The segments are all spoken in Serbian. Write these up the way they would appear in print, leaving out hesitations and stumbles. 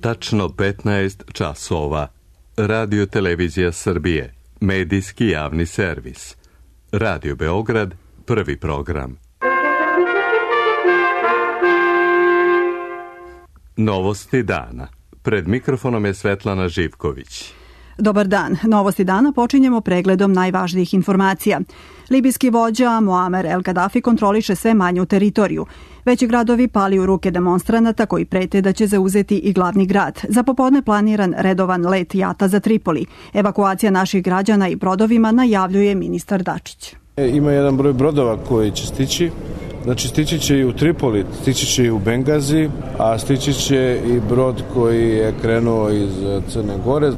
Tačno 15 časova. Radio Televizija Srbije. Medijski javni servis. Radio Beograd, prvi program. Novosti dana. Pred mikrofonom je Svetlana Živković. Dobar dan. Novosti dana počinjemo pregledom najvažnijih informacija. Libijski vođa Muamer El Gaddafi kontroliše sve manju teritoriju. Veći gradovi pali u ruke demonstranata koji prete da će zauzeti i glavni grad. Za popodne planiran redovan let jata za Tripoli. Evakuacija naših građana i brodovima najavljuje ministar Dačić. Ima jedan broj brodova koji će stići. Znači stići će i u Tripoli, stići će i u Bengazi, a stići će i brod koji je krenuo iz Crne Gore.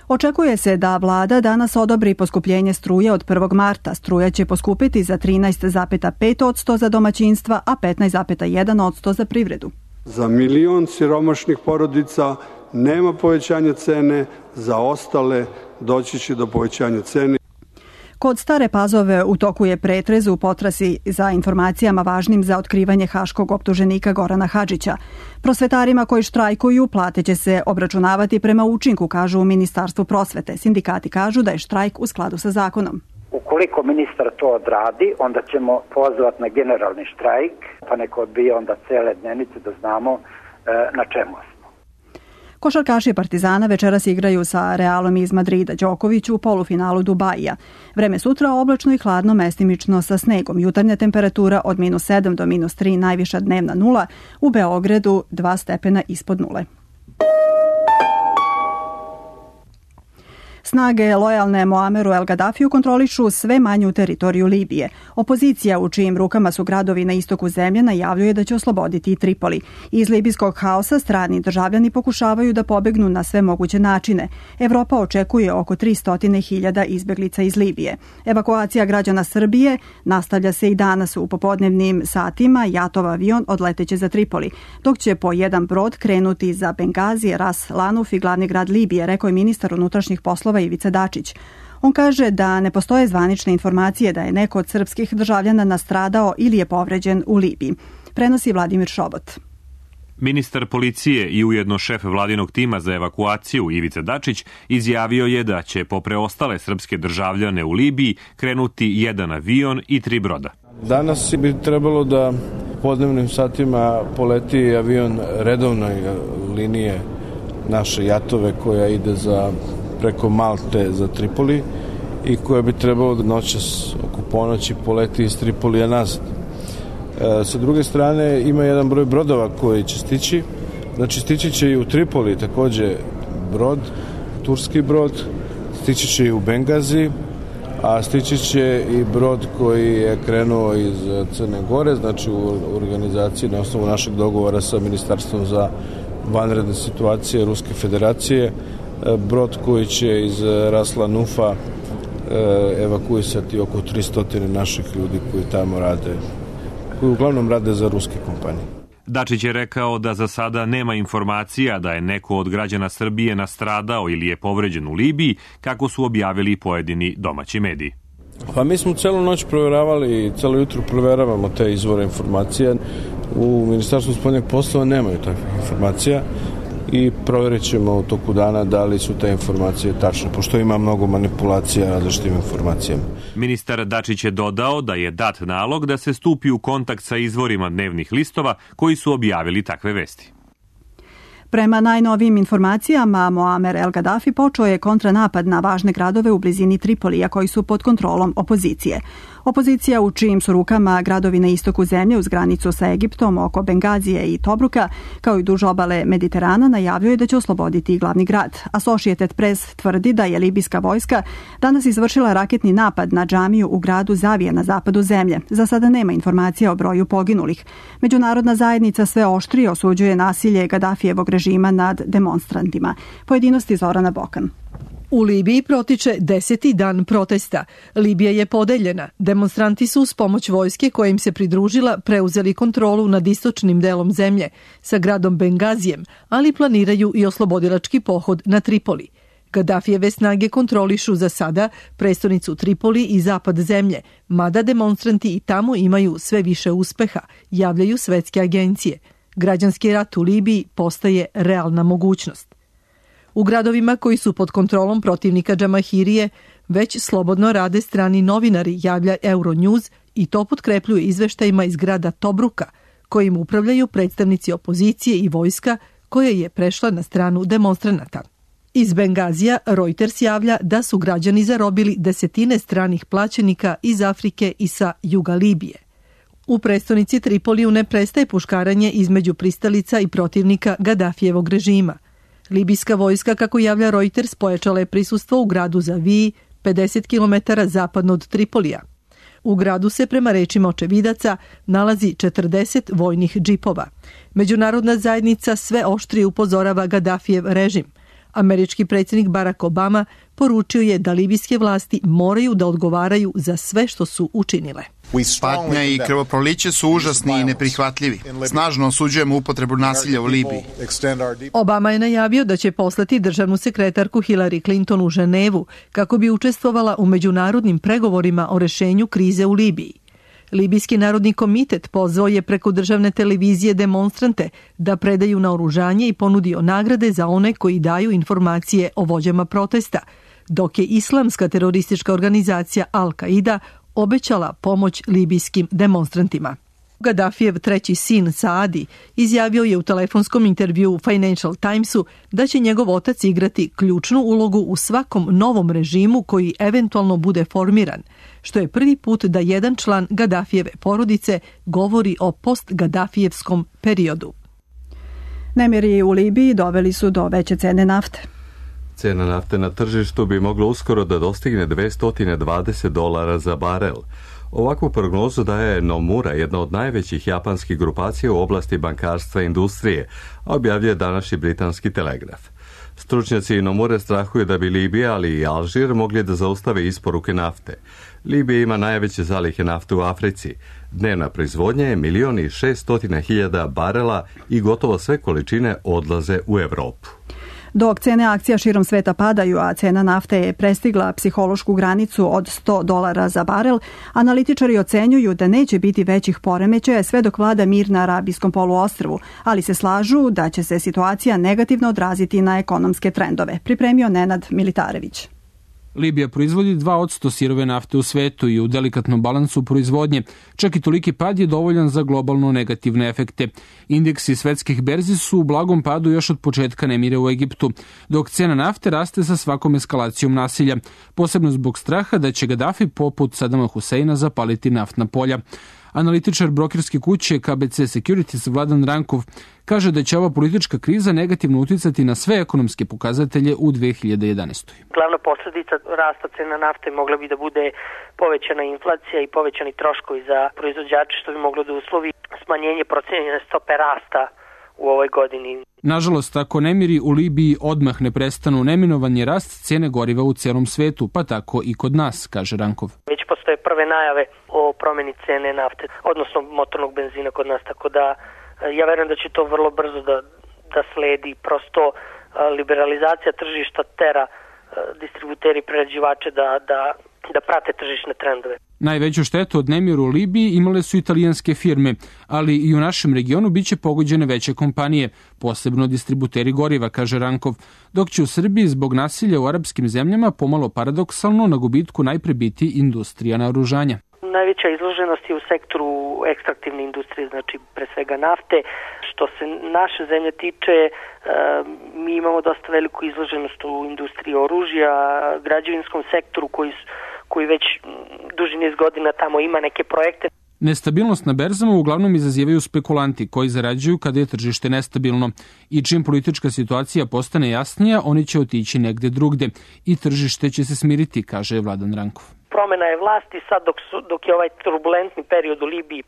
Očekuje se da vlada danas odobri poskupljenje struje od 1. marta. Struja će poskupiti za 13,5% za domaćinstva, a 15,1% za privredu. Za milion siromašnih porodica nema povećanja cene, za ostale doći će do povećanja cene. Kod Stare Pazove u toku je pretrez u potrazi za informacijama važnim za otkrivanje haškog optuženika Gorana Hadžića. Prosvetarima koji štrajkuju plate će se obračunavati prema učinku, kažu u Ministarstvu prosvete. Sindikati kažu da je štrajk u skladu sa zakonom. Ukoliko ministar to odradi, onda ćemo pozvati na generalni štrajk, pa neko odbije onda cele dnevnice da znamo na čemu smo. Košarkaši Partizana večeras igraju sa Realom iz Madrida. Đoković u polufinalu Dubaija. Vreme sutra oblačno i hladno, mestimično sa snegom. Jutarnja temperatura od -7 do -3, najviša dnevna 0. U Beogradu 2 stepena ispod 0. Snage lojalne Muameru El Gaddafiju kontrolišu sve manju teritoriju Libije. Opozicija, u čijim rukama su gradovi na istoku zemlje, najavljuje da će osloboditi i Tripoli. Iz libijskog haosa strani državljani pokušavaju da pobegnu na sve moguće načine. Evropa očekuje oko 300.000 izbeglica iz Libije. Evakuacija građana Srbije nastavlja se i danas u popodnevnim satima. Jatov avion odleteće za Tripoli, dok će po jedan brod krenuti za Bengazi, Ras Lanuf i glavni grad Libije, rekao je ministar unutrašnjih poslova Ivica Dačić. On kaže da ne postoje zvanične informacije da je neko od srpskih državljana nastradao ili je povređen u Libiji. Prenosi Vladimir Šobot. Ministar policije i ujedno šef vladinog tima za evakuaciju Ivica Dačić izjavio je da će po preostale srpske državljane u Libiji krenuti jedan avion i 3 broda. Danas bi trebalo da podnevnim satima poleti avion redovnoj linije naše Jatove koja ide preko Malte za Tripoli i koja bi trebalo da noćas oko ponoći poleti iz Tripolija nazad. Sa druge strane ima jedan broj brodova koji će stići. Znači stići će i u Tripoli takođe brod, turski brod, stići će i u Bengazi, a stići će i brod koji je krenuo iz Crne Gore, znači u organizaciji na osnovu našeg dogovora sa Ministarstvom za vanredne situacije Ruske federacije, brod koji će iz Ras Lanufa evakuisati oko 300 naših ljudi koji tamo rade, koji uglavnom rade za ruske kompanije. Dačić je rekao da za sada nema informacija da je neko od građana Srbije nastradao ili je povređen u Libiji, kako su objavili pojedini domaći mediji. Pa mi smo celu noć provjeravali i celo jutro provjeravamo te izvore informacija. U Ministarstvu spoljnih poslova nemaju takvih informacija i provjerit ćemo u toku dana da li su te informacije tačne, pošto ima mnogo manipulacija različitim informacijama. Ministar Dačić je dodao da je dat nalog da se stupi u kontakt sa izvorima dnevnih listova koji su objavili takve vesti. Prema najnovijim informacijama, Muamer El Gaddafi počeo je kontranapad na važne gradove u blizini Tripolija koji su pod kontrolom opozicije. Opozicija, u čijim su rukama gradovi na istoku zemlje uz granicu sa Egiptom oko Bengazije i Tobruka, kao i duž obale Mediterana, najavljuje da će osloboditi i glavni grad. Associated Press tvrdi da je libijska vojska danas izvršila raketni napad na džamiju u gradu Zavija na zapadu zemlje. Za sada nema informacija o broju poginulih. Međunarodna zajednica sve oštrije osuđuje nasilje Gaddafijevog režima nad demonstrantima. Pojedinosti Zorana Bokan. U Libiji protiče 10. dan protesta. Libija je podeljena. Demonstranti su uz pomoć vojske koja im se pridružila preuzeli kontrolu nad istočnim delom zemlje sa gradom Bengazijem, ali planiraju i oslobodilački pohod na Tripoli. Gaddafijeve snage kontrolišu za sada prestonicu Tripoli i zapad zemlje, mada demonstranti i tamo imaju sve više uspeha, javljaju svetske agencije. Građanski rat u Libiji postaje realna mogućnost. U gradovima koji su pod kontrolom protivnika Džamahirije već slobodno rade strani novinari, javlja Euronews, i to potkrepljuje izveštajima iz grada Tobruka, kojim upravljaju predstavnici opozicije i vojska koja je prešla na stranu demonstranata. Iz Bengazija Reuters javlja da su građani zarobili desetine stranih plaćenika iz Afrike i sa juga Libije. U prestonici Tripoliju ne prestaje puškaranje između pristalica i protivnika Gadafijevog režima. Libijska vojska, kako javlja Reuters, pojačala je prisustvo u gradu Zaviji, 50 km zapadno od Tripolija. U gradu se, prema rečima očevidaca, nalazi 40 vojnih džipova. Međunarodna zajednica sve oštrije upozorava Gadafijev režim. Američki predsjednik Barack Obama poručio je da libijske vlasti moraju da odgovaraju za sve što su učinile. Patnja i krvoproliće su užasni i neprihvatljivi. Snažno osuđujemo upotrebu nasilja u Libiji. Obama je najavio da će poslati državnu sekretarku Hillary Clinton u Ženevu kako bi učestvovala u međunarodnim pregovorima o rešenju krize u Libiji. Libijski narodni komitet pozvao je preko državne televizije demonstrante da predaju naoružanje i ponudio nagrade za one koji daju informacije o vođama protesta, dok je islamska teroristička organizacija Al-Qaida obećala pomoć libijskim demonstrantima. Gadafijev treći sin Saadi izjavio je u telefonskom intervjuu u Financial Timesu da će njegov otac igrati ključnu ulogu u svakom novom režimu koji eventualno bude formiran, što je prvi put da jedan član Gadafijeve porodice govori o post-Gadafijevskom periodu. Nemiri u Libiji doveli su do veće cene nafte. Cena nafte na tržištu bi mogla uskoro da dostigne $220 za barel. Ovakvu prognozu daje Nomura, jedna od najvećih japanskih grupacija u oblasti bankarstva i industrije, a objavljuje današnji britanski Telegraf. Stručnjaci Nomure strahuju da bi Libija, ali i Alžir mogli da zaustave isporuke nafte. Libija ima najveće zalihe nafte u Africi. Dnevna proizvodnja je 1.600.000 barela i gotovo sve količine odlaze u Evropu. Dok cene akcija širom sveta padaju, a cena nafte je prestigla psihološku granicu od $100 za barel, analitičari ocenjuju da neće biti većih poremećaja sve dok vlada mir na Arabijskom poluostrvu, ali se slažu da će se situacija negativno odraziti na ekonomske trendove. Pripremio Nenad Militarević. Libija proizvodi 2% sirove nafte u svetu i u delikatnom balansu proizvodnje. Čak i toliki pad je dovoljan za globalno negativne efekte. Indeksi svetskih berzi su u blagom padu još od početka nemira u Egiptu, dok cena nafte raste sa svakom eskalacijom nasilja, posebno zbog straha da će Gadafi poput Sadama Huseina zapaliti naftna polja. Analitičar brokerske kuće KBC Securities Vladan Rankov kaže da će ova politička kriza negativno uticati na sve ekonomske pokazatelje u 2011. Glavna posljedica rasta cena nafte mogla bi da bude povećana inflacija i povećani troškovi za proizvođače, što bi moglo da uslovi smanjenje procenjene stope rasta u ovoj godini. Nažalost, ako nemiri u Libiji odmah ne prestanu, neminovan je rast cene goriva u celom svetu, pa tako i kod nas, kaže Rankov. Već postoje prve najave o promjeni cene nafte, odnosno motornog benzina kod nas, tako da ja verujem da će to vrlo brzo da sledi. Prosto liberalizacija tržišta tera distributeri i prerađivače da prate tržišne trendove. Najveću štetu od nemira u Libiji imale su italijanske firme, ali i u našem regionu biće pogođene veće kompanije, posebno distributeri goriva, kaže Rankov, dok će u Srbiji zbog nasilja u arapskim zemljama pomalo paradoksalno na gubitku najpre biti industrija naoružanja. Najveća izloženost je u sektoru ekstraktivne industrije, znači pre svega nafte. Što se naše zemlje tiče, mi imamo dosta veliku izloženost u industriji oružja, građevinskom sektoru koji već duži niz godina tamo ima neke projekte. Nestabilnost na berzama uglavnom izazivaju spekulanti koji zarađuju kada je tržište nestabilno i čim politička situacija postane jasnija, oni će otići negde drugde i tržište će se smiriti, kaže Vladan Rankov. Promjena je vlasti sad dok je ovaj turbulentni period u Libiji,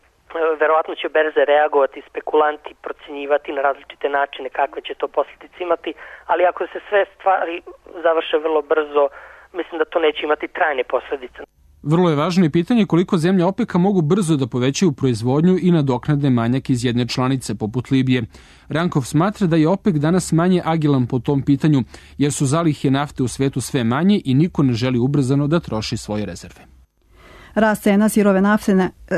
verovatno će berze reagovati, spekulanti procjenjivati na različite načine kakve će to posljedice imati, ali ako se sve stvari završe vrlo brzo, mislim da to neće imati trajne posljedice. Vrlo je važno i pitanje koliko zemlje OPEC-a mogu brzo da povećaju proizvodnju i nadoknade manjak iz jedne članice poput Libije. Rankov smatra da je OPEC danas manje agilan po tom pitanju, jer su zalihe nafte u svetu sve manje i niko ne želi ubrzano da troši svoje rezerve. Rast cena sirove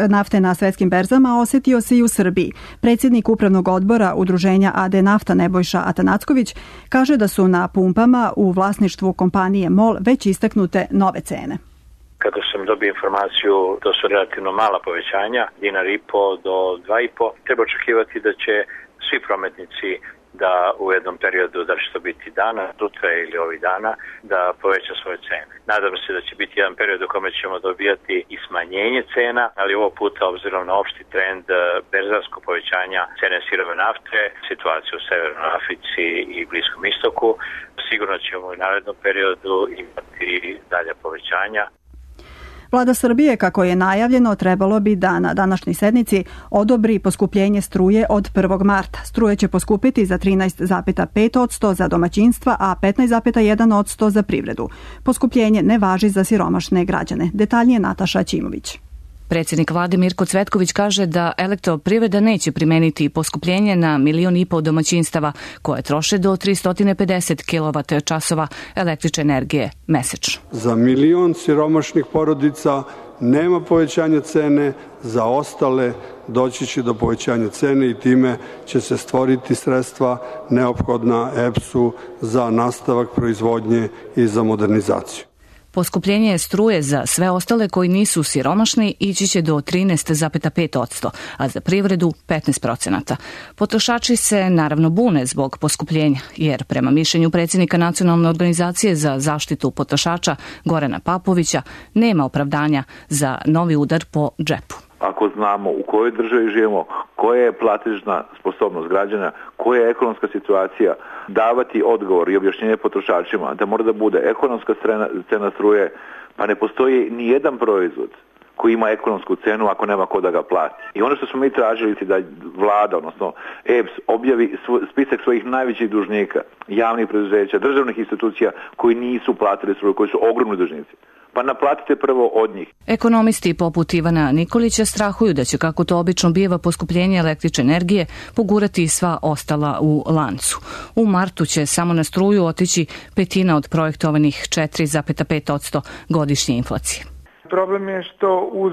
nafte na svetskim berzama osetio se i u Srbiji. Predsjednik upravnog odbora udruženja AD Nafta Nebojša Atanacković kaže da su na pumpama u vlasništvu kompanije MOL već istaknute nove cene. Kada sam dobio informaciju, to su relativno mala povećanja, $1,5 do $2,5. Treba očekivati da će svi prometnici da u jednom periodu, da će to biti dana, sutra ili ovih dana, da poveća svoje cene. Nadam se da će biti jedan period u kome ćemo dobijati i smanjenje cena, ali ovog puta, obzirom na opšti trend berzarskog povećanja cene sirove nafte, situaciju u Severnoj Africi i Bliskom istoku, sigurno ćemo u narednom periodu imati dalje povećanja. Vlada Srbije, kako je najavljeno, trebalo bi da na današnjoj sednici odobri poskupljenje struje od 1. marta. Struje će poskupiti za 13,5% za domaćinstva, a 15,1% za privredu. Poskupljenje ne važi za siromašne građane. Detaljnije Nataša Ćimović. Predsjednik vlade Mirko Cvetković kaže da Elektroprivreda neće primeniti poskupljenje na 1,5 miliona domaćinstava koje troše do 350 kWh električne energije mesečno. Za 1 milion siromašnih porodica nema povećanja cene, za ostale doći će do povećanja cene i time će se stvoriti sredstva neophodna EPS-u za nastavak proizvodnje i za modernizaciju. Poskupljenje struje za sve ostale koji nisu siromašni ići će do 13,5%, a za privredu 15%. Potrošači se naravno bune zbog poskupljenja, jer prema mišljenju predsjednika Nacionalne organizacije za zaštitu potrošača Gorana Papovića nema opravdanja za novi udar po džepu. Ako znamo u kojoj državi živimo, koja je platežna sposobnost građana, koja je ekonomska situacija, davati odgovor i objašnjenje potrošačima da mora da bude ekonomska cena struje, pa ne postoji ni jedan proizvod koji ima ekonomsku cenu ako nema ko da ga plati. I ono što smo mi tražili da vlada, odnosno EPS, objavi spisak svojih najvećih dužnika, javnih preduzeća, državnih institucija koji nisu platili struju, koji su ogromni dužnici. Pa naplatite prvo od njih. Ekonomisti poput Ivana Nikolića strahuju da će, kako to obično biva, poskupljenje električne energije pogurati sva ostala u lancu. U martu će samo na struju otići petina od projektovanih 4,5% godišnje inflacije. Problem je što uz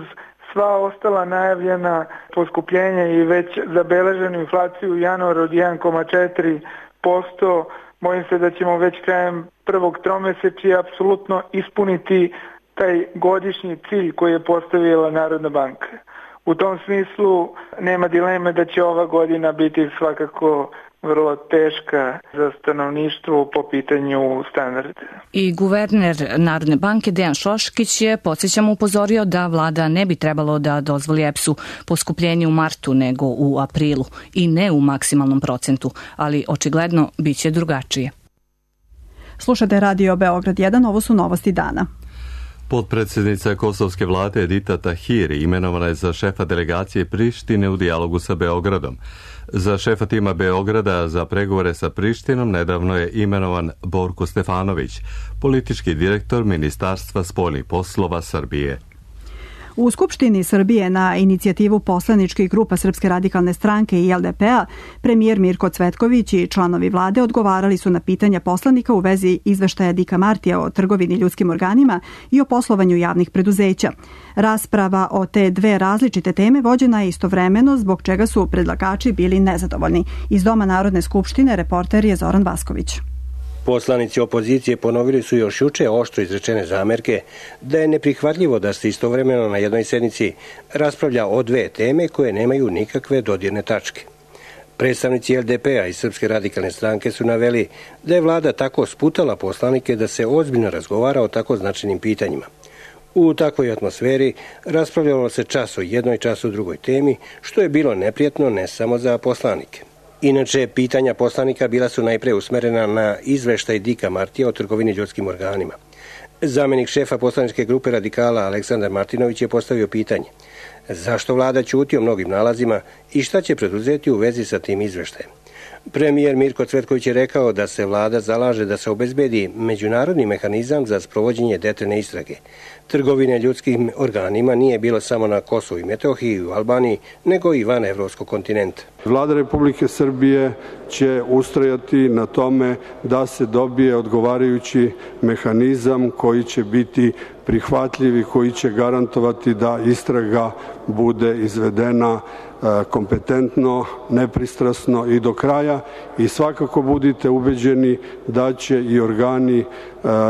sva ostala najavljena poskupljenja i već zabeleženu inflaciju u januaru od 1,4%, bojim se da ćemo već krajem prvog tromesečja apsolutno ispuniti taj godišnji cilj koji je postavila Narodna banka. U tom smislu nema dileme da će ova godina biti svakako vrlo teška za stanovništvo po pitanju standarda. I guverner Narodne banke Dejan Šoškić je, podsjećamo, upozorio da vlada ne bi trebalo da dozvoli EPS-u poskupljenje u martu nego u aprilu i ne u maksimalnom procentu, ali očigledno bit će drugačije. Slušate Radio Beograd 1, ovo su novosti dana. Potpredsjednica kosovske vlade Edita Tahiri imenovana je za šefa delegacije Prištine u dijalogu sa Beogradom. Za šefa tima Beograda za pregovore sa Prištinom nedavno je imenovan Borko Stefanović, politički direktor Ministarstva spoljnih poslova Srbije. U Skupštini Srbije na inicijativu poslaničkih grupa Srpske radikalne stranke i LDP-a, premijer Mirko Cvetković i članovi vlade odgovarali su na pitanja poslanika u vezi izveštaja Dika Martija o trgovini ljudskim organima i o poslovanju javnih preduzeća. Rasprava o te dve različite teme vođena je istovremeno, zbog čega su predlagači bili nezadovoljni. Iz Doma Narodne skupštine reporter je Zoran Vasković. Poslanici opozicije ponovili su još juče oštro izrečene zamerke da je neprihvatljivo da se istovremeno na jednoj sednici raspravlja o dve teme koje nemaju nikakve dodirne tačke. Predstavnici LDP-a i Srpske radikalne stranke su naveli da je vlada tako sputala poslanike da se ozbiljno razgovara o tako značajnim pitanjima. U takvoj atmosferi raspravljalo se čas o jednoj, čas o drugoj temi, što je bilo neprijatno ne samo za poslanike. Inače, pitanja poslanika bila su najpre usmerena na izveštaj Dika Martija o trgovini ljudskim organima. Zamenik šefa poslaničke grupe radikala Aleksandar Martinović je postavio pitanje: zašto vlada ćuti o mnogim nalazima i šta će preduzeti u vezi sa tim izveštajem? Premijer Mirko Cvetković je rekao da se vlada zalaže da se obezbedi međunarodni mehanizam za sprovođenje detaljne istrage. Trgovine ljudskim organima nije bilo samo na Kosovu i Metohiji i u Albaniji, nego i van evropskog kontinenta. Vlada Republike Srbije će ustrajati na tome da se dobije odgovarajući mehanizam koji će biti prihvatljiv i koji će garantovati da istraga bude izvedena kompetentno, nepristrasno i do kraja, i svakako budite ubeđeni da će i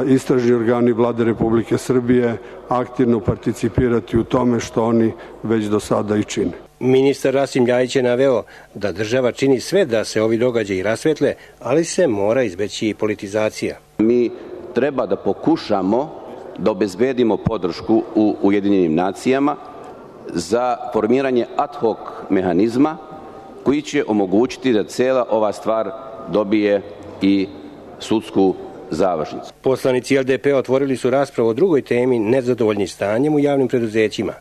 istražni organi Vlade Republike Srbije aktivno participirati u tome što oni već do sada i čine. Ministar Rasim Ljajić je naveo da država čini sve da se ovi događaji rasvetle, ali se mora izbeći i politizacija. Mi treba da pokušamo da obezbedimo podršku u Ujedinjenim nacijama za formiranje ad hoc mehanizma koji će omogućiti da cela ova stvar dobije i sudsku završnicu. Poslanici LDP otvorili su raspravu o drugoj temi, nezadovoljni stanjem u javnim preduzećima.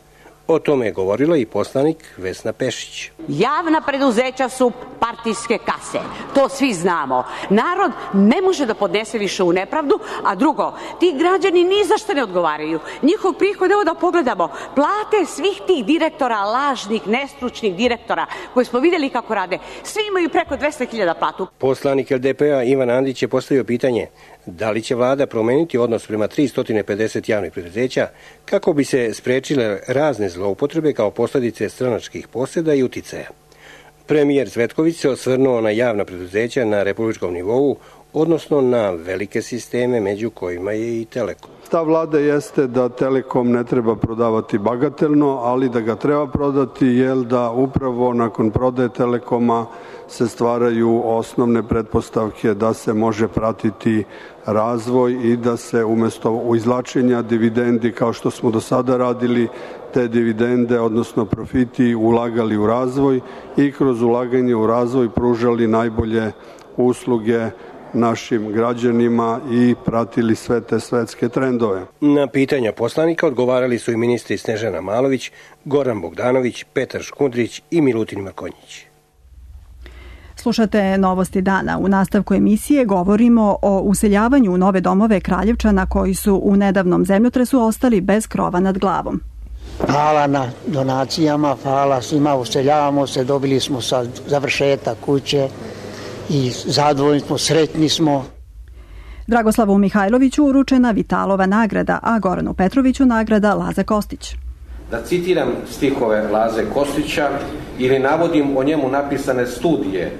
O tome je govorila i poslanik Vesna Pešić. Javna preduzeća su partijske kase, to svi znamo. Narod ne može da podnese više u nepravdu, a drugo, ti građani ni za šta ne odgovaraju. Njihov prihod, evo da pogledamo, plate svih tih direktora, lažnih, nestručnih direktora, koje smo vidjeli kako rade, svi imaju preko 200.000 platu. Poslanik LDP-a Ivan Andić je postavio pitanje da li će vlada promeniti odnos prema 350 javnih preduzeća kako bi se sprečile razne zloupotrebe kao posljedice stranačkih posjeda i uticaja. Premijer Cvetković se osvrnuo na javna preduzeća na republičkom nivou, odnosno na velike sisteme, među kojima je i Telekom. Ta vlada jeste da Telekom ne treba prodavati bagatelno, ali da ga treba prodati, jer da upravo nakon prodaje Telekoma se stvaraju osnovne pretpostavke da se može pratiti razvoj i da se umjesto izvlačenja dividendi, kao što smo do sada radili, te dividende, odnosno profiti, ulagali u razvoj i kroz ulaganje u razvoj pružali najbolje usluge našim građanima i pratili sve te svetske trendove. Na pitanja poslanika odgovarali su i ministri Snežana Malović, Goran Bogdanović, Petar Škundrić i Milutin Mrkonjić. Slušate Novosti dana. U nastavku emisije govorimo o useljavanju u nove domove Kraljevčana koji su u nedavnom zemljotresu ostali bez krova nad glavom. Hvala na donacijama, hvala svima, useljavamo se, dobili smo sad završetak kuće i zadovoljni smo, sretni smo. Dragoslavu Mihajloviću uručena Vitalova nagrada, a Goranu Petroviću nagrada Laza Kostić. Da citiram stihove Laze Kostića ili navodim o njemu napisane studije,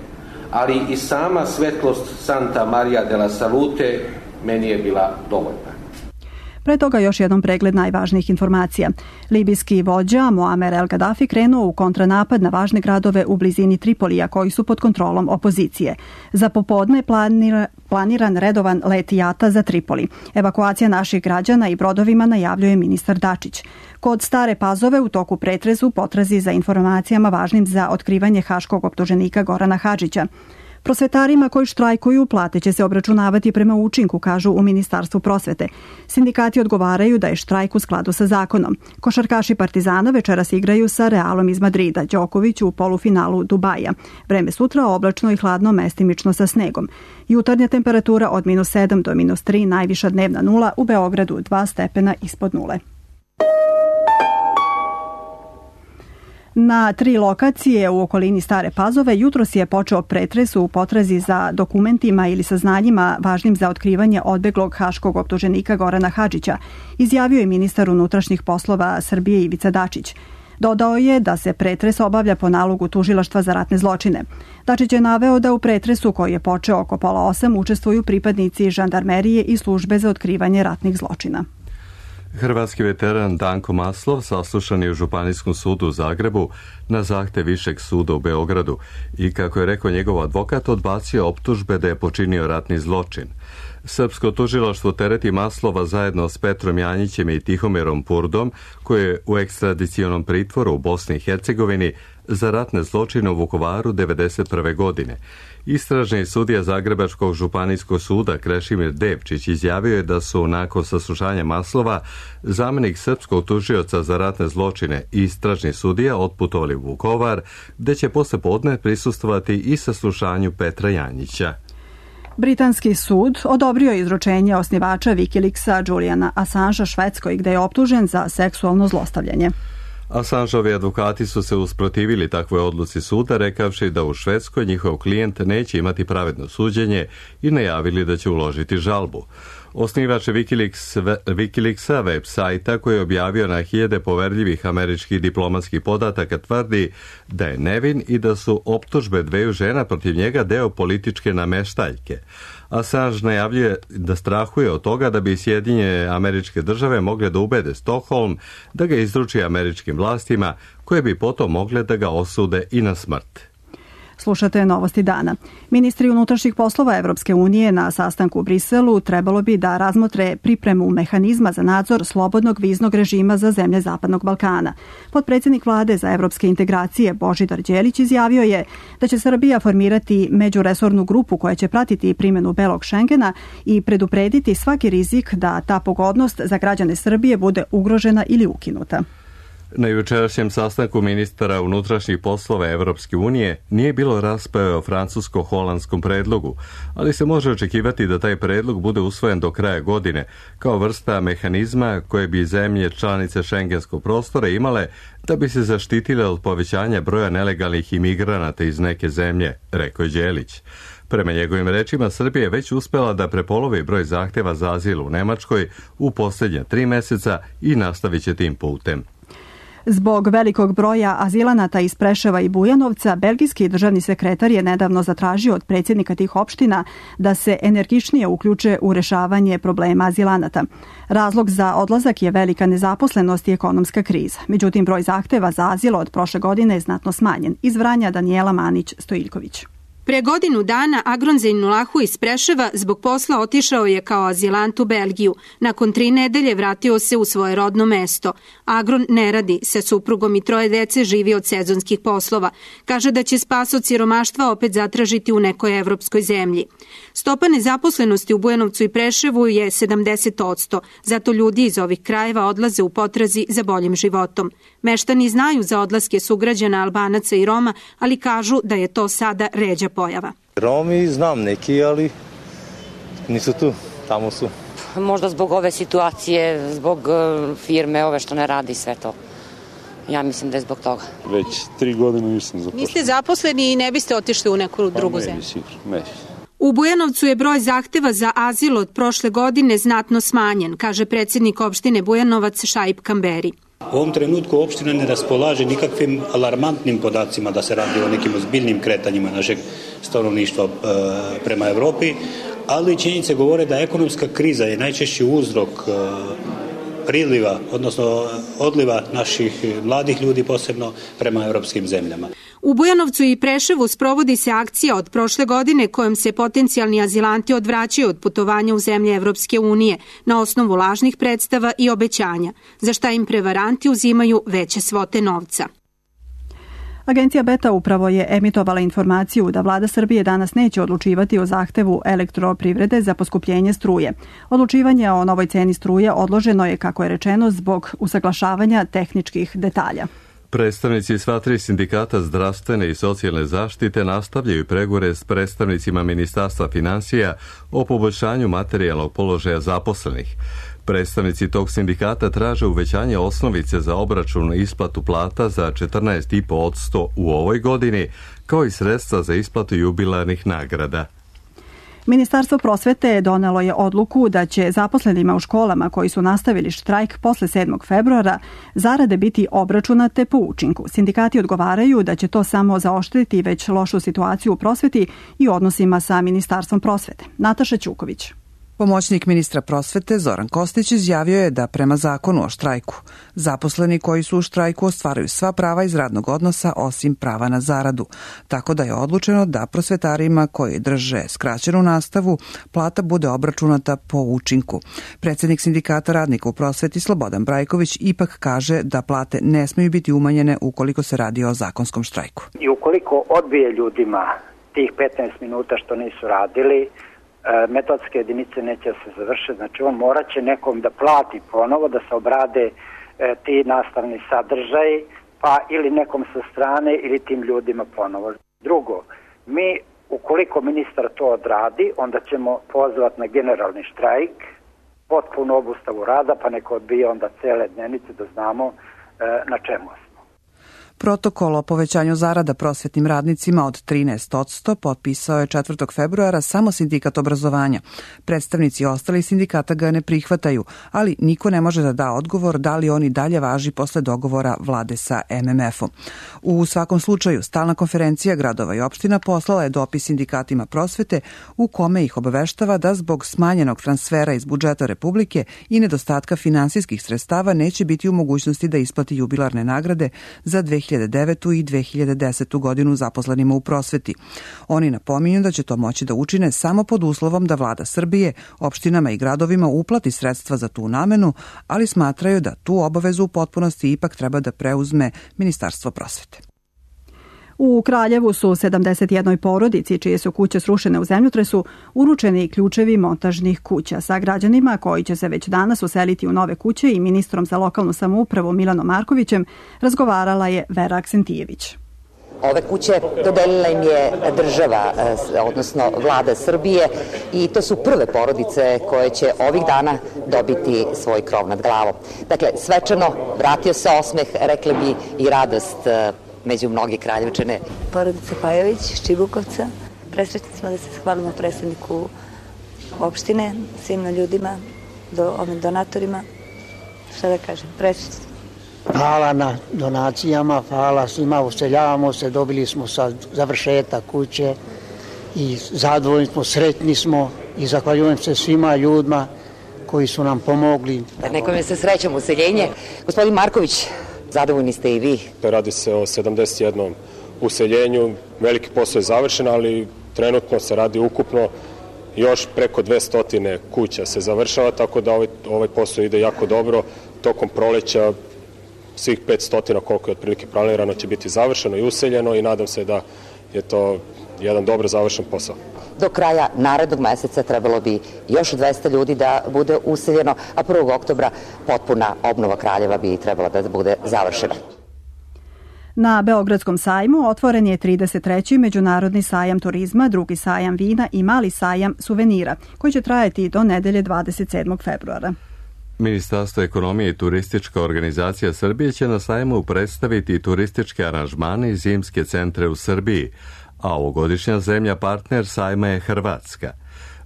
ali i sama svetlost Santa Maria de la Salute meni je bila dovoljna. Pre toga još jednom pregled najvažnijih informacija. Libijski vođa Muamer El Gaddafi krenuo u kontranapad na važne gradove u blizini Tripolija koji su pod kontrolom opozicije. Za popodne planiran redovan let jata za Tripoli. Evakuacija naših građana i brodovima najavljuje ministar Dačić. Kod Stare Pazove u toku pretresu potrazi za informacijama važnim za otkrivanje haškog optuženika Gorana Hadžića. Prosvetarima koji štrajkuju plate će se obračunavati prema učinku, kažu u Ministarstvu prosvete. Sindikati odgovaraju da je štrajk u skladu sa zakonom. Košarkaši Partizana večeras igraju sa Realom iz Madrida, Đoković u polufinalu Dubaja. Vreme sutra oblačno i hladno, mestimično sa snegom. Jutarnja temperatura od -7 do -3, najviša dnevna 0, u Beogradu 2 stepena ispod 0. Na 3 lokacije u okolini Stare Pazove jutros je počeo pretres u potrazi za dokumentima ili saznanjima važnim za otkrivanje odbeglog haškog optuženika Gorana Hadžića, izjavio je ministar unutrašnjih poslova Srbije Ivica Dačić. Dodao je da se pretres obavlja po nalogu Tužilaštva za ratne zločine. Dačić je naveo da u pretresu koji je počeo oko 7:30 učestvuju pripadnici žandarmerije i službe za otkrivanje ratnih zločina. Hrvatski veteran Danko Maslov saslušan je u Županijskom sudu u Zagrebu na zahtev Višeg suda u Beogradu i, kako je rekao njegov advokat, odbacio optužbe da je počinio ratni zločin. Srpsko tužilaštvo tereti Maslova zajedno s Petrom Janjićem i Tihomirom Purdom, koji je u ekstradicionom pritvoru u Bosni i Hercegovini za ratne zločine u Vukovaru 1991. godine. Istražni sudija Zagrebačkog županijskog suda Krešimir Devčić izjavio je da su nakon saslušanja Maslova zamjenik srpskog tužioca za ratne zločine i istražni sudija otputovali u Vukovar, gde će posle podne prisustvovati i saslušanju Petra Janjića. Britanski sud odobrio izručenje osnivača Wikileaksa Juliana Assangea Švedskoj, gde je optužen za seksualno zlostavljanje. Assangeovi advokati su se usprotivili takvoj odluci suda, rekavši da u Švedskoj njihov klijent neće imati pravedno suđenje i najavili da će uložiti žalbu. Osnivač Wikileaksa, web sajta koji je objavio na hiljade poverljivih američkih diplomatskih podataka, tvrdi da je nevin i da su optužbe dveju žena protiv njega deo političke nameštaljke. Assange najavljuje da strahuje od toga da bi Sjedinjene Američke Države mogle da ubede Stockholm da ga izruči američkim vlastima, koje bi potom mogle da ga osude i na smrt. Slušate Novosti dana. Ministri unutrašnjih poslova Evropske unije na sastanku u Briselu trebalo bi da razmotre pripremu mehanizma za nadzor slobodnog viznog režima za zemlje Zapadnog Balkana. Potpredsjednik vlade za evropske integracije Božidar Đelić izjavio je da će Srbija formirati međuresornu grupu koja će pratiti primjenu belog Šengena i preduprediti svaki rizik da ta pogodnost za građane Srbije bude ugrožena ili ukinuta. Na jučerašnjem sastanku ministara unutrašnjih poslova Evropske unije nije bilo rasprave o francusko-holandskom predlogu, ali se može očekivati da taj predlog bude usvojen do kraja godine, kao vrsta mehanizma koje bi zemlje članice šengenskog prostora imale da bi se zaštitile od povećanja broja nelegalnih imigranata iz neke zemlje, rekao je Đelić. Prema njegovim rečima, Srbija je već uspela da prepolovi broj zahteva za azil u Nemačkoj u posljednja 3 meseca i nastavit će tim putem. Zbog velikog broja azilanata iz Preševa i Bujanovca, belgijski državni sekretar je nedavno zatražio od predsjednika tih opština da se energičnije uključe u rešavanje problema azilanata. Razlog za odlazak je velika nezaposlenost i ekonomska kriza. Međutim, broj zahteva za azil od prošle godine je znatno smanjen. Iz Vranja Danijela Manić-Stojiljković. Pre godinu dana Agron Zejnulahu iz Preševa zbog posla otišao je kao azilant u Belgiju. Nakon 3 nedelje vratio se u svoje rodno mesto. Agron ne radi, sa suprugom i 3 dece živi od sezonskih poslova. Kaže da će spas od siromaštva opet zatražiti u nekoj evropskoj zemlji. Stopa nezaposlenosti u Bujanovcu i Preševu je 70%, zato ljudi iz ovih krajeva odlaze u potrazi za boljim životom. Meštani znaju za odlaske sugrađana Albanaca i Roma, ali kažu da je to sada ređa pojava. Romi znam neki, ali nisu tu, tamo su. Možda zbog ove situacije, zbog firme ove što ne radi sve to. Ja mislim da je zbog toga. Već 3 godine nisam zaposleni. Niste zaposleni i ne biste otišli u neku drugu zemlju? Ne. U Bujanovcu je broj zahteva za azil od prošle godine znatno smanjen, kaže predsjednik opštine Bujanovac Šaip Kamberi. U ovom trenutku opština ne raspolaže nikakvim alarmantnim podacima da se radi o nekim ozbiljnim kretanjima našeg stanovništva prema Evropi, ali činjenice govore da ekonomska kriza je najčešći uzrok priliva, odnosno odliva naših mladih ljudi posebno prema evropskim zemljama. U Bujanovcu i Preševu sprovodi se akcija od prošle godine kojom se potencijalni azilanti odvraćaju od putovanja u zemlje Evropske unije na osnovu lažnih predstava i obećanja, za šta im prevaranti uzimaju veće svote novca. Agencija Beta upravo je emitovala informaciju da vlada Srbije danas neće odlučivati o zahtevu elektroprivrede za poskupljenje struje. Odlučivanje o novoj ceni struje odloženo je, kako je rečeno, zbog usaglašavanja tehničkih detalja. Predstavnici sva 3 sindikata zdravstvene i socijalne zaštite nastavljaju pregovore s predstavnicima Ministarstva finansija o poboljšanju materijalnog položaja zaposlenih. Predstavnici tog sindikata traže uvećanje osnovice za obračun i isplatu plata za 14,5% u ovoj godini, kao i sredstva za isplatu jubilarnih nagrada. Ministarstvo prosvete donelo je odluku da će zaposlenima u školama koji su nastavili štrajk posle 7. februara zarade biti obračunate po učinku. Sindikati odgovaraju da će to samo zaoštriti već lošu situaciju u prosveti i odnosima sa Ministarstvom prosvete. Nataša Ćuković. Pomoćnik ministra prosvete Zoran Kostić izjavio je da prema zakonu o štrajku zaposleni koji su u štrajku ostvaruju sva prava iz radnog odnosa osim prava na zaradu, tako da je odlučeno da prosvetarima koji drže skraćenu nastavu plata bude obračunata po učinku. Predsjednik sindikata radnika u prosveti Slobodan Brajković ipak kaže da plate ne smiju biti umanjene ukoliko se radi o zakonskom štrajku. I ukoliko odbije ljudima tih 15 minuta što nisu radili, metodske jedinice neće se završiti, znači on morat će nekom da plati ponovo, da se obrade ti nastavni sadržaji pa ili nekom sa strane ili tim ljudima ponovo. Drugo, mi ukoliko ministar to odradi, onda ćemo pozvati na generalni štrajk, potpunu obustavu rada, pa neko odbije onda cele dnevnice da znamo na čemu smo. Protokol o povećanju zarada prosvetnim radnicima od 13% potpisao je 4. februara samo sindikat obrazovanja. Predstavnici ostalih sindikata ga ne prihvataju, ali niko ne može da da odgovor da li on i dalje važi posle dogovora vlade sa MMF-om. U svakom slučaju, stalna konferencija gradova i opština poslala je dopis sindikatima prosvete u kome ih obaveštava da zbog smanjenog transfera iz budžeta Republike i nedostatka finansijskih sredstava neće biti u mogućnosti da isplati jubilarne nagrade za 2009. i 2010. godinu zaposlenima u prosveti. Oni napominju da će to moći da učine samo pod uslovom da vlada Srbije opštinama i gradovima uplati sredstva za tu namenu, ali smatraju da tu obavezu u potpunosti ipak treba da preuzme Ministarstvo prosvete. U Kraljevu su 71 porodici, čije su kuće srušene u zemljotresu, uručeni ključevi montažnih kuća. Sa građanima koji će se već danas useliti u nove kuće i ministrom za lokalnu samoupravu Milanom Markovićem razgovarala je Vera Aksentijević. Ove kuće dodelila im je država, odnosno vlada Srbije, i to su prve porodice koje će ovih dana dobiti svoj krov nad glavom. Dakle, svečano vratio se osmeh, rekli bi i radost među mnogi Kraljevčane. Porodica Pajović iz Čibukovca. Presrećni smo da se zahvalimo predsedniku opštine, svim ljudima, ovim donatorima. Šta da kažem, presrećni. Hvala na donacijama, hvala svima, useljavamo se, dobili smo sad završetak kuće i zadovoljni smo, sretni smo i zahvaljujem se svima ljudima koji su nam pomogli. Nekome se srećom useljenje. Gospodin Marković, zadovoljni ste i vi? Radi se o 71 useljenju, veliki posao je završen, ali trenutno se radi ukupno još preko 200 kuća se završava, tako da ovaj posao ide jako dobro. Tokom proleća svih 500 koliko je otprilike planirano će biti završeno i useljeno i nadam se da je to jedan dobro završen posao. Do kraja narednog meseca trebalo bi još 200 ljudi da bude useljeno, a 1. oktobra potpuna obnova Kraljeva bi trebala da bude završena. Na Beogradskom sajmu otvoren je 33. Međunarodni sajam turizma, drugi sajam vina i mali sajam suvenira, koji će trajati do nedelje 27. februara. Ministarstvo ekonomije i turistička organizacija Srbije će na sajmu predstaviti turističke aranžmane i zimske centre u Srbiji, a ovogodišnja zemlja partner sajma je Hrvatska.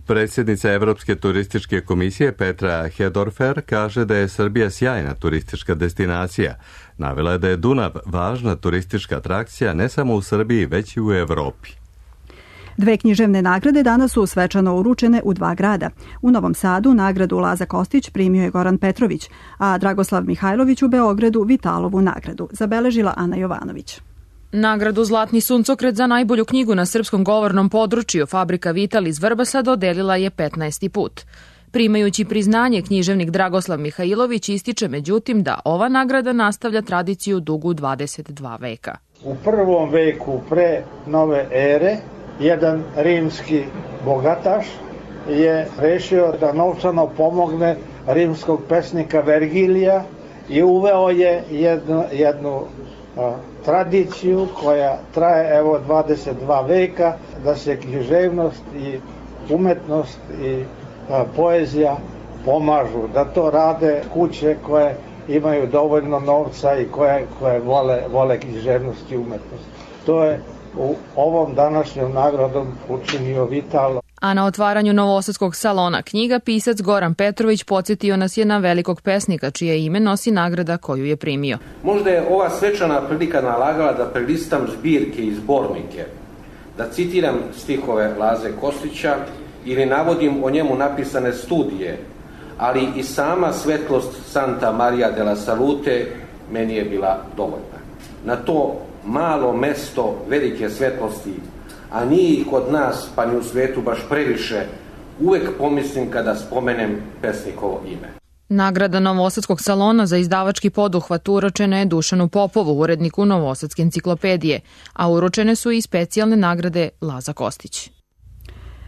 Predsjednica Evropske turističke komisije Petra Hedorfer kaže da je Srbija sjajna turistička destinacija. Navela je da je Dunav važna turistička atrakcija ne samo u Srbiji, već i u Evropi. 2 književne nagrade danas su svečano uručene u 2 grada. U Novom Sadu nagradu Laza Kostić primio je Goran Petrović, a Dragoslav Mihajlović u Beogradu Vitalovu nagradu, zabeležila Ana Jovanović. Nagradu Zlatni suncokret za najbolju knjigu na srpskom govornom području Fabrika Vital iz Vrbasa dodelila je 15. put. Primajući priznanje, književnik Dragoslav Mihajlović ističe međutim da ova nagrada nastavlja tradiciju dugu 22 veka. U 1. veku pre nove ere jedan rimski bogataš je rešio da novčano pomogne rimskog pesnika Vergilija i uveo je jednu tradiciju koja traje evo 22 veka, da se književnost i umetnost i poezija pomažu, da to rade kuće koje imaju dovoljno novca i koje vole književnost i umetnost. To je u ovom današnjom nagradom učinio Vitalo. A na otvaranju Novosadskog salona knjiga pisac Goran Petrović podsjetio nas je na velikog pesnika čije ime nosi nagrada koju je primio. Možda je ova svečana prilika nalagala da prelistam zbirke i zbornike, da citiram stihove Laze Kostića ili navodim o njemu napisane studije, ali i sama svetlost Santa Maria della Salute meni je bila dovoljna. Na to malo mesto velike svetlosti, a nije ih kod nas, pa ni u svetu baš previše, uvek pomislim kada spomenem pesnikovo ime. Nagrada Novosadskog salona za izdavački poduhvat uručena je Dušanu Popovu, uredniku Novosadske enciklopedije, a uručene su i specijalne nagrade Laza Kostić.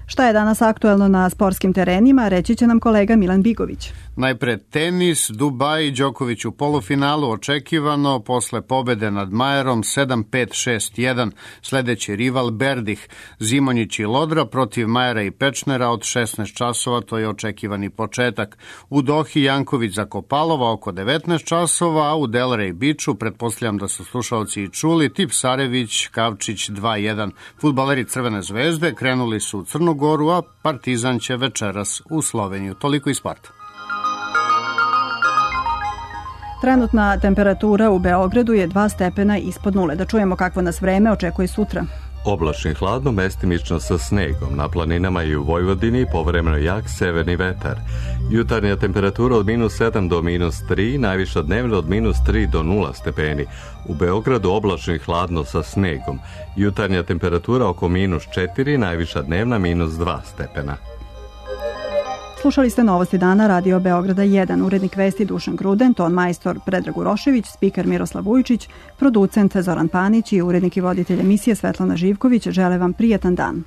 Šta je danas aktuelno na sportskim terenima, reći će nam kolega Milan Bigović. Najpre tenis, Dubaj, Đoković u polufinalu, očekivano posle pobede nad Majerom 7-5-6-1. Sledeći rival Berdih, Zimonjić i Lodra protiv Majera i Pečnera od 16 časova, to je očekivani početak. U Dohi Janković za Kopalova oko 19 časova, a u Delray Beachu, pretpostavljam da su slušalci i čuli, Tipsarević, Kavčić 2-1. Fudbaleri Crvene zvezde krenuli su u Crnu Goru, a Partizan će večeras u Sloveniju. Toliko iz sporta. Trenutna temperatura u Beogradu je 2 stepena ispod nule. Da čujemo kakvo nas vreme očekuje sutra. Oblačno i hladno, mestimično sa snegom. Na planinama i u Vojvodini povremeno jak severni vetar. Jutarnja temperatura od -7 do -3, najviša dnevna od -3 do 0 stepeni. U Beogradu oblačno i hladno sa snegom. Jutarnja temperatura oko -4, najviša dnevna -2 stepena. Slušali ste Novosti dana Radio Beograda 1, urednik vesti Dušan Gruden, ton majstor Predrag Urošević, spiker Miroslav Vujčić, producent Zoran Panić i urednik i voditelj emisije Svetlana Živković. Žele vam prijatan dan.